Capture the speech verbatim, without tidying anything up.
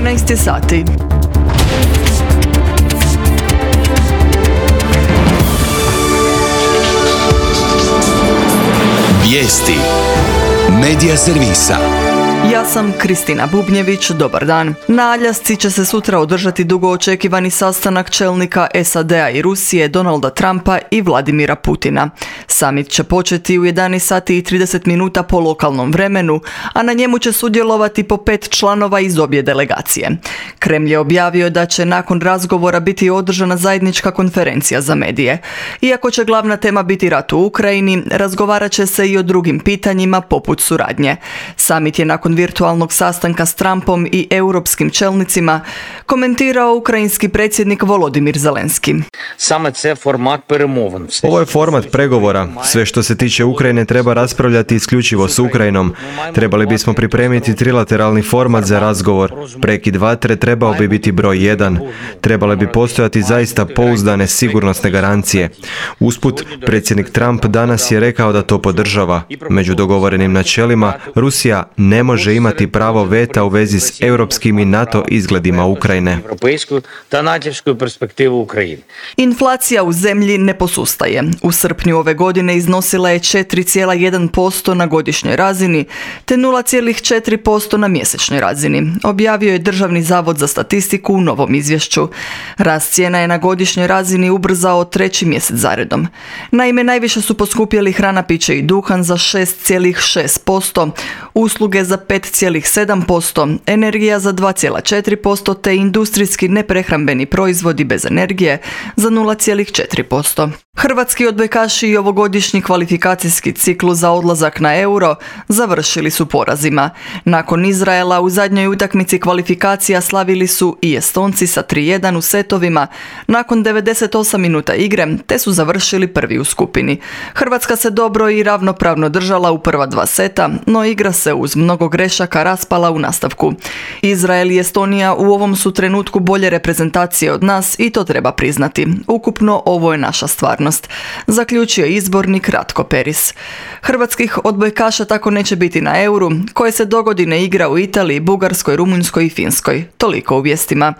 trinaest sati. Vijesti Medija servisa. Ja sam Kristina Bubnjević, dobar dan. Na Aljasci će se sutra održati dugo očekivani sastanak čelnika S A D-a i Rusije, Donalda Trumpa i Vladimira Putina. Summit će početi u jedanaest sati i trideset minuta po lokalnom vremenu, a na njemu će sudjelovati po pet članova iz obje delegacije. Kremlj je objavio da će nakon razgovora biti održana zajednička konferencija za medije. Iako će glavna tema biti rat u Ukrajini, razgovarat će se i o drugim pitanjima poput suradnje. Summit je nakon virtualnog sastanka s Trumpom i europskim čelnicima komentirao ukrajinski predsjednik Volodimir Zelenski. Ovo je format pregovora. Sve što se tiče Ukrajine treba raspravljati isključivo s Ukrajinom. Trebali bismo pripremiti trilateralni format za razgovor. Prekid vatre trebao bi biti broj jedan. Trebale bi postojati zaista pouzdane sigurnosne garancije. Usput, predsjednik Trump danas je rekao da to podržava. Među dogovorenim načelima, Rusija ne može imati pravo veta u vezi s europskim i NATO izgledima Ukrajine. Inflacija u zemlji ne posustaje. U srpnju ove godine iznosila je četiri zarez jedan posto na godišnjoj razini te nula zarez četiri posto na mjesečnoj razini, objavio je Državni zavod za statistiku u novom izvješću. Rast cijena je na godišnjoj razini ubrzao treći mjesec zaredom. Naime, najviše su poskupjeli hrana, piće i duhan za šest zarez šest posto, usluge za pet zarez sedam posto, energija za dva zarez četiri posto te industrijski neprehrambeni proizvodi bez energije za nula zarez četiri posto. Hrvatski odbojkaši i ovogodišnji kvalifikacijski ciklus za odlazak na Euro završili su porazima. Nakon Izraela u zadnjoj utakmici kvalifikacija slavili su i Estonci sa tri jedan u setovima nakon devedeset osam minuta igre, te su završili prvi u skupini. Hrvatska se dobro i ravnopravno držala u prva dva seta, no igra se uz mnogo grešaka raspala u nastavku. Izrael i Estonija u ovom su trenutku bolje reprezentacije od nas i to treba priznati. Ukupno ovo je naša stvarnost, zaključio izbornik Ratko Peris. Hrvatskih odbojkaša tako neće biti na Euru, koje se dogodine igra u Italiji, Bugarskoj, Rumunjskoj i Finskoj. Toliko u vijestima.